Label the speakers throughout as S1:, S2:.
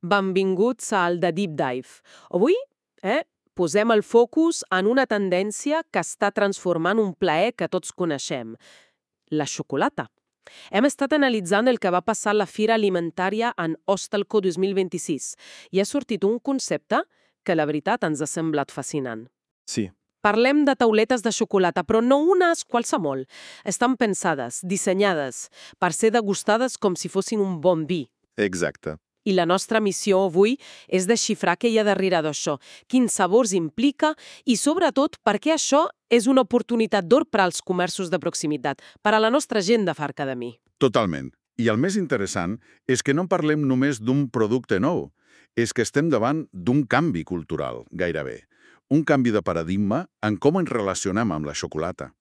S1: Benvinguts al The Deep Dive. Avui posem el focus en una tendència que està transformant un plaer que tots coneixem, la xocolata. Hem estat analitzant el que va passar a la Fira Alimentària en Ostalco 2026 i ha sortit un concepte que la veritat ens ha semblat fascinant.
S2: Sí,
S1: Parlem de tauletes de xocolata, però no unes qualsevol. Estan pensades, dissenyades, per ser degustades com si fossin un bon vi.
S2: exacte.
S1: I la nostra missió avui és desxifrar què hi ha darrere d'això, quins sabors implica i, sobretot, per què això és una oportunitat d'or per als comerços de proximitat, per a la nostra gent de Far Academy.
S2: Totalment. I el més interessant és que no parlem només d'un producte nou, és que estem davant d'un canvi cultural, gairebé. Un canvi de paradigma en com ens relacionem amb la xocolata.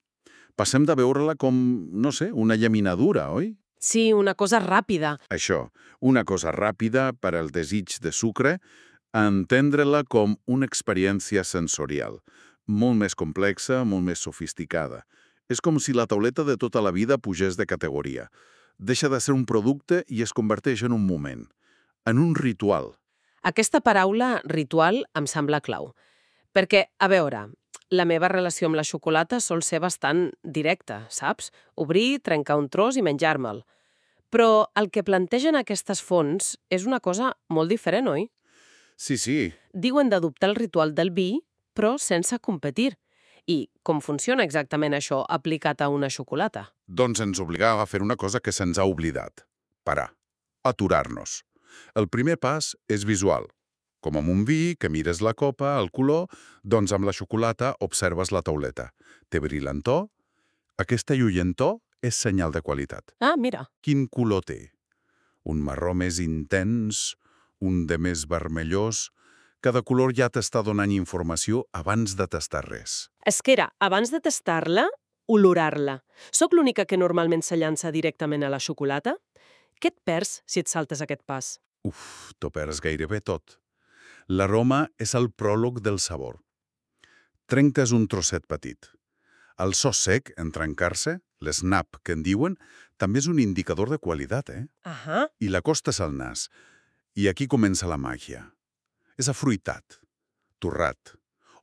S2: Passem de veure-la com, no sé, una llaminadura, oi?
S1: Sí, una cosa ràpida.
S2: Això, una cosa ràpida per al desig de sucre, a entendre-la com una experiència sensorial, molt més complexa, molt més sofisticada. És com si la tauleta de tota la vida pugés de categoria. Deixa de ser un producte i es converteix en un moment, en un ritual.
S1: Aquesta paraula, ritual, em sembla clau. Perquè, a veure, la meva relació amb la xocolata sol ser bastant directa, saps? Obrir, trencar un tros i menjar-me'l. Però el que plantegen aquestes fonts és una cosa molt diferent, oi?
S2: Sí,
S1: Diuen d'adoptar el ritual del vi, però sense competir. I com funciona exactament això aplicat a una xocolata?
S2: doncs ens obligava a fer una cosa que se'ns ha oblidat. Parar. Aturar-nos. El primer pas és visual. Com amb un vi, que mires la copa, el color, doncs amb la xocolata observes la tauleta. Té brillantor? Aquesta lluentor és senyal de qualitat.
S1: Ah, mira.
S2: Quin color té? Un marró més intens, un de més vermellós. Cada color ja t'està donant informació abans de tastar res.
S1: És que era, abans de tastar-la, olorar-la. Soc l'única que normalment se llança directament a la xocolata? Què et perds si et saltes aquest pas?
S2: T'ho perds gairebé tot. L'aroma és el pròleg del sabor. Trenques un trosset petit. El so sec, en trencar-se, l'snap, que en diuen, també és un indicador de qualitat,
S1: Ahà.
S2: I l'acostes al nas. I aquí comença la màgia. És afruitat, torrat.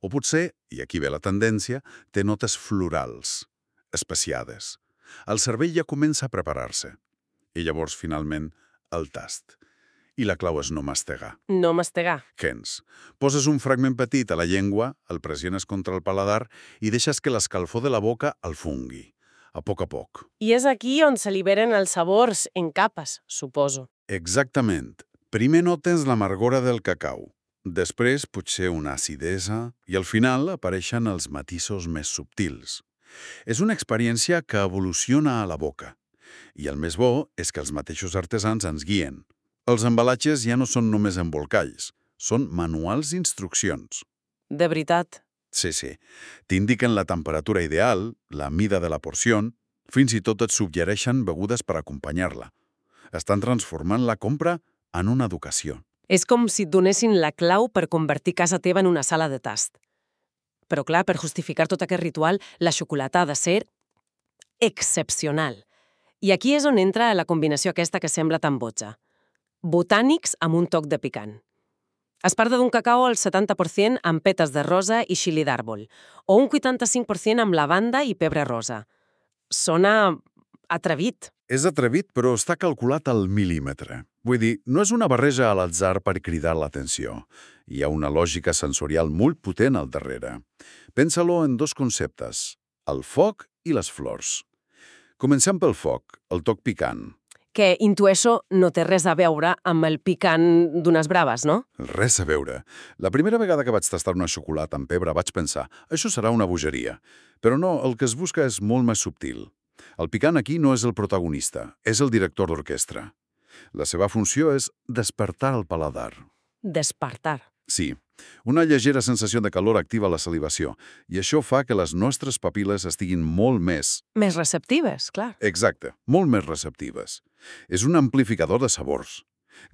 S2: O potser, i aquí ve la tendència, té notes florals, especiades. El cervell ja comença a preparar-se. I llavors, finalment, el tast. I la clau és no mastegar.
S1: No mastegar.
S2: Gens. Poses un fragment petit a la llengua, el pressiones contra el paladar i deixes que l'escalfor de la boca el fungui, a poc.
S1: I és aquí on s'alliberen els sabors en capes, suposo.
S2: Exactament. Primer notes l'amargora del cacau, després potser una acidesa i al final apareixen els matisos més subtils. És una experiència que evoluciona a la boca. I el més bo és que els mateixos artesans ens guien. Els embalatges ja no són només embolcalls, són manuals d'instruccions.
S1: De veritat.
S2: Sí. T'indiquen la temperatura ideal, la mida de la porció, fins i tot et suggereixen begudes per acompanyar-la. Estan transformant la compra en una educació.
S1: És com si et donessin la clau per convertir casa teva en una sala de tast. Però clar, per justificar tot aquest ritual, la xocolata ha de ser excepcional. I aquí és on entra la combinació aquesta que sembla tan botja. Botànics amb un toc de picant. Es parla d'un cacau al 70% amb petes de rosa i xili d'àrbol, o un 85% amb lavanda i pebre rosa. Sona atrevit.
S2: És atrevit, però està calculat al mil·límetre. Vull dir, no és una barreja a l'atzar per cridar l'atenció. Hi ha una lògica sensorial molt potent al darrere. Pensa-lo en dos conceptes, el foc i les flors. Comencem pel foc, el toc picant.
S1: Que intueixo no té res a veure amb el picant d'unes braves, no?
S2: Res a veure. La primera vegada que vaig tastar una xocolata amb pebre vaig pensar, això serà una bogeria. Però no, el que es busca és molt més subtil. El picant aquí no és el protagonista, és el director d'orquestra. La seva funció és despertar el paladar.
S1: Despertar.
S2: Sí, una lleugera sensació de calor activa la salivació, i això fa que les nostres papil·les estiguin molt més...
S1: Més receptives, clar.
S2: Exacte, molt més receptives. És un amplificador de sabors.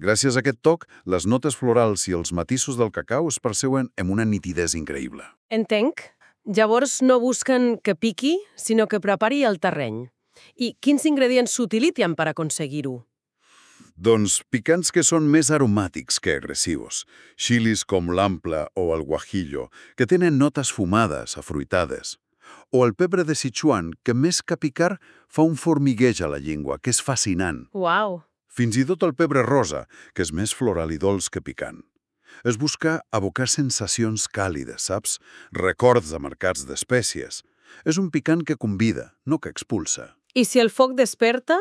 S2: Gràcies a aquest toc, les notes florals i els matisos del cacau es perceuen amb una nitidesa increïble.
S1: Entenc. Llavors no busquen que piqui, sinó que prepari el terreny. I quins ingredients s'utilitzen per aconseguir-ho?
S2: Doncs picants que són més aromàtics que agressius. Chilis com l'ample o el guajillo, que tenen notes fumades, afruitades. O el pebre de Sichuan, que més que picar fa un formigueig a la llengua, que és fascinant.
S1: Uau!
S2: Fins i tot el pebre rosa, que és més floral i dolç que picant. Es busca abocar sensacions càlides, saps? Records de mercats d'espècies. És un picant que convida, no que expulsa.
S1: I si el foc desperta,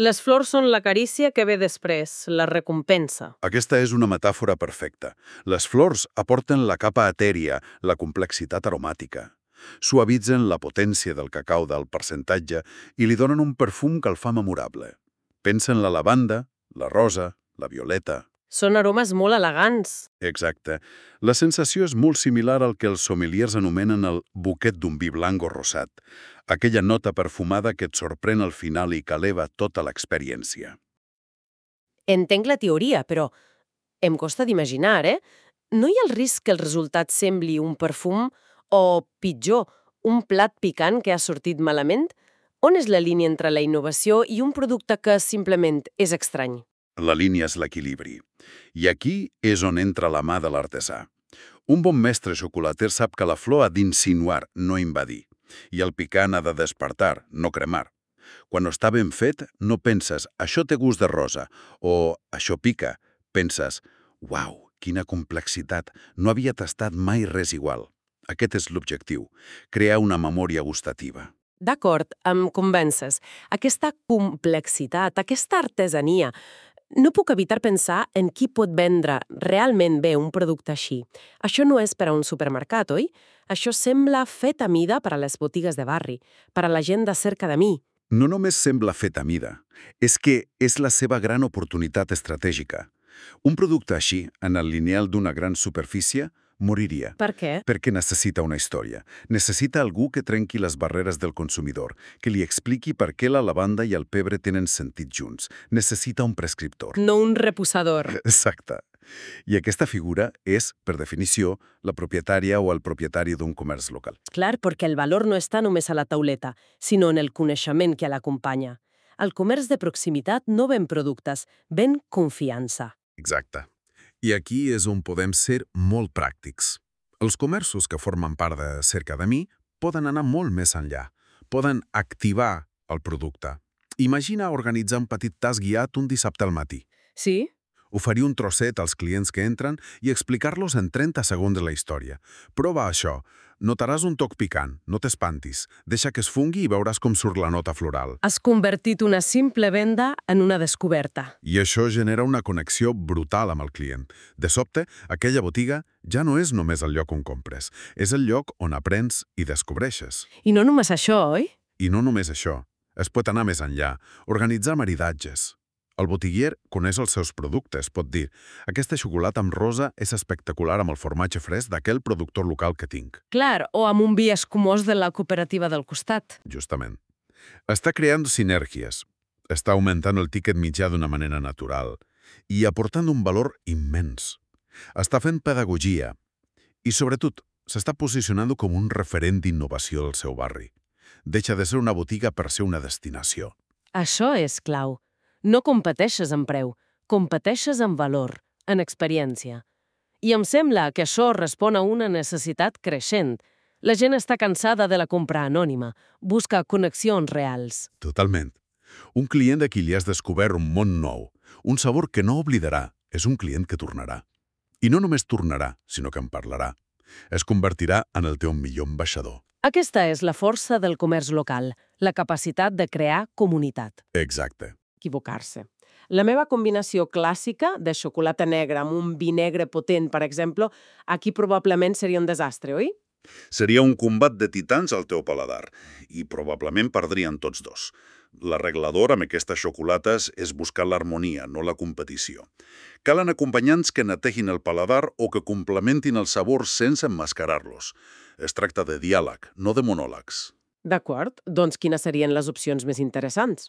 S1: les flors són la carícia que ve després, la recompensa.
S2: Aquesta és una metàfora perfecta. Les flors aporten la capa etèria, la complexitat aromàtica. Suavitzen la potència del cacau d'alt percentatge i li donen un perfum que el fa memorable. Pensa en la lavanda, la rosa, la violeta.
S1: Són aromes molt elegants.
S2: Exacte. La sensació és molt similar al que els sommeliers anomenen el buquet d'un vi blanc o rosat, aquella nota perfumada que et sorprèn al final i que eleva tota l'experiència.
S1: Entenc la teoria, però em costa d'imaginar, No hi ha el risc que el resultat sembli un perfum o, pitjor, un plat picant que ha sortit malament? On és la línia entre la innovació i un producte que simplement és estrany?
S2: La línia és l'equilibri. I aquí és on entra la mà de l'artesà. Un bon mestre xocolater sap que la flor ha d'insinuar, no invadir. I el picant ha de despertar, no cremar. Quan està ben fet, no penses, això té gust de rosa, o això pica. Penses, uau, quina complexitat, no havia tastat mai res igual. Aquest és l'objectiu, crear una memòria gustativa.
S1: D'acord, em convences. Aquesta complexitat, aquesta artesania, no puc evitar pensar en qui pot vendre realment bé un producte així. Això no és per a un supermercat, oi? Això sembla fet a mida per a les botigues de barri, per a la gent de cerca de mi.
S2: No només sembla fet a mida, és que és la seva gran oportunitat estratègica. Un producte així, en el lineal d'una gran superfície, moriria.
S1: Per què?
S2: Perquè necessita una història. Necessita algú que trenqui les barreres del consumidor, que li expliqui per què la lavanda i el pebre tenen sentit junts. Necessita un prescriptor.
S1: No un reposador.
S2: Exacte. I aquesta figura és, per definició, la propietària o el propietari d'un comerç local.
S1: Clar, perquè el valor no està només a la tauleta, sinó en el coneixement que l'acompanya. El comerç de proximitat no ven productes, ven confiança.
S3: Exacte. I aquí és on podem ser molt pràctics. Els comerços que formen part de Cerca de Mi poden anar molt més enllà. Poden activar el producte. Imagina organitzar un petit tas guiat un dissabte al matí.
S1: Sí?
S3: Oferir un trosset als clients que entren i explicar-los en 30 segons la història. Prova això. Notaràs un toc picant, no t'espantis. Deixa que es fungui i veuràs com surt la nota floral.
S1: Has convertit una simple venda en una descoberta.
S3: I això genera una connexió brutal amb el client. De sobte, aquella botiga ja no és només el lloc on compres. És el lloc on aprens i descobreixes.
S1: I no només això, oi?
S3: I no només això. Es pot anar més enllà. Organitzar maridatges. El botiguer coneix els seus productes, pot dir aquesta xocolata amb rosa és espectacular amb el formatge fresc d'aquell productor local que tinc.
S1: Clar, o amb un vi escumós de la cooperativa del costat.
S3: Justament. Està creant sinergies. Està augmentant el tiquet mitjà d'una manera natural i aportant un valor immens. Està fent pedagogia i, sobretot, s'està posicionant com un referent d'innovació del seu barri. Deixa de ser una botiga per ser una destinació.
S1: Això és clau. No competeixes en preu, competeixes en valor, en experiència. I em sembla que això respon a una necessitat creixent. La gent està cansada de la compra anònima, busca connexions reals.
S3: Totalment. Un client a qui li has descobert un món nou, un sabor que no oblidarà, és un client que tornarà. I no només tornarà, sinó que en parlarà. Es convertirà en el teu millor ambaixador.
S1: Aquesta és la força del comerç local, la capacitat de crear comunitat.
S3: Exacte.
S1: Equivocar-se. La meva combinació clàssica de xocolata negra amb un vi negre potent, per exemple, aquí probablement seria un desastre, oi?
S2: Seria un combat de titans al teu paladar i probablement perdrien tots dos. L'arreglador amb aquestes xocolates és buscar l'harmonia, no la competició. Calen acompanyants que netegin el paladar o que complementin el sabor sense emmascarar-los. Es tracta de diàleg, no de monòlegs.
S1: D'acord, doncs quines serien les opcions més interessants?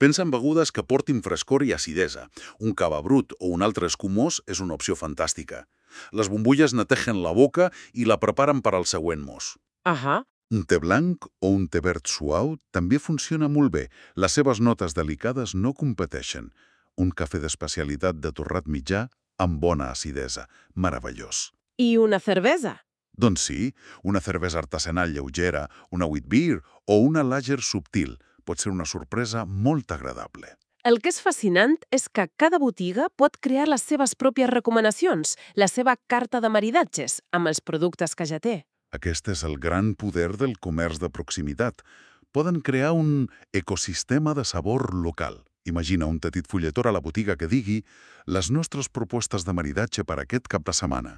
S2: Pensa en begudes que portin frescor i acidesa. Un cava brut o un altre escumós és una opció fantàstica. Les bombolles netegen la boca i la preparen per al següent mos.
S1: Ahà.
S2: Un te blanc o un te verd suau també funciona molt bé. Les seves notes delicades no competeixen. un cafè d'especialitat de torrat mitjà amb bona acidesa. Meravellós.
S1: I una cervesa?
S2: Doncs sí, una cervesa artesanal lleugera, una wheat beer o una lager subtil pot ser una sorpresa molt agradable.
S1: El que és fascinant és que cada botiga pot crear les seves pròpies recomanacions, la seva carta de maridatges amb els productes que ja té.
S2: Aquest és el gran poder del comerç de proximitat. Poden crear un ecosistema de sabor local. Imagina un petit fulletor a la botiga que digui «Les nostres propostes de maridatge per aquest cap de setmana.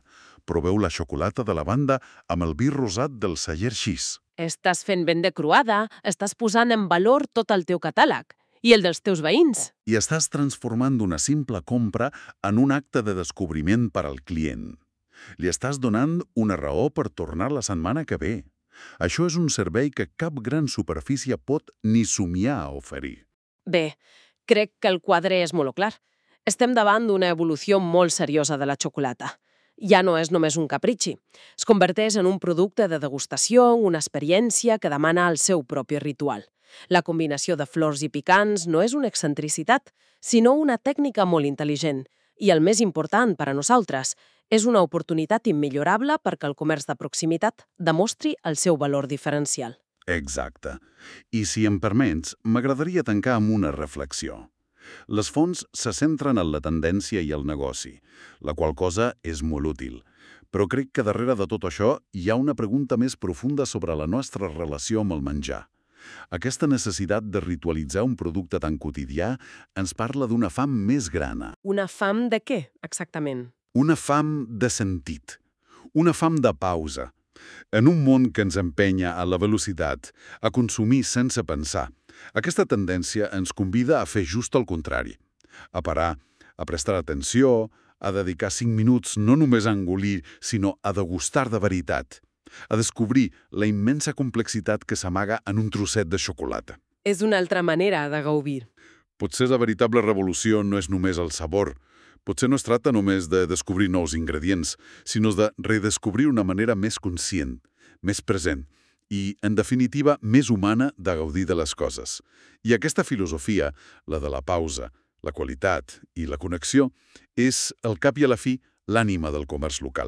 S2: Proveu la xocolata de lavanda amb el vi rosat del celler Xis».
S1: Estàs fent venda croada, estàs posant en valor tot el teu catàleg i el dels teus veïns.
S2: I estàs transformant una simple compra en un acte de descobriment per al client. Li estàs donant una raó per tornar la setmana que ve. Això és un servei que cap gran superfície pot ni somiar a oferir.
S1: Bé, crec que el quadre és molt clar. Estem davant d'una evolució molt seriosa de la xocolata. Ja no és només un capritxi. Es converteix en un producte de degustació, una experiència que demana el seu propi ritual. La combinació de flors i picants no és una excentricitat, sinó una tècnica molt intel·ligent. I el més important per a nosaltres, és una oportunitat immillorable perquè el comerç de proximitat demostri el seu valor diferencial.
S2: Exacte. I si em permets, m'agradaria tancar amb una reflexió. Les fonts se centren en la tendència i el negoci, la qual cosa és molt útil. Però crec que darrere de tot això hi ha una pregunta més profunda sobre la nostra relació amb el menjar. Aquesta necessitat de ritualitzar un producte tan quotidià ens parla d'una fam més grana.
S1: Una fam de què, exactament?
S2: Una fam de sentit. Una fam de pausa. En un món que ens empenya a la velocitat, a consumir sense pensar, aquesta tendència ens convida a fer just el contrari. A parar, a prestar atenció, a dedicar 5 minuts no només a engolir, sinó a degustar de veritat. A descobrir la immensa complexitat que s'amaga en un trosset de xocolata.
S1: És una altra manera de gaudir.
S2: Potser la veritable revolució no és només el sabor. Potser no es tracta només de descobrir nous ingredients, sinó de redescobrir una manera més conscient, més present i, en definitiva, més humana de gaudir de les coses. I aquesta filosofia, la de la pausa, la qualitat i la connexió, és, al cap i a la fi, l'ànima del comerç local.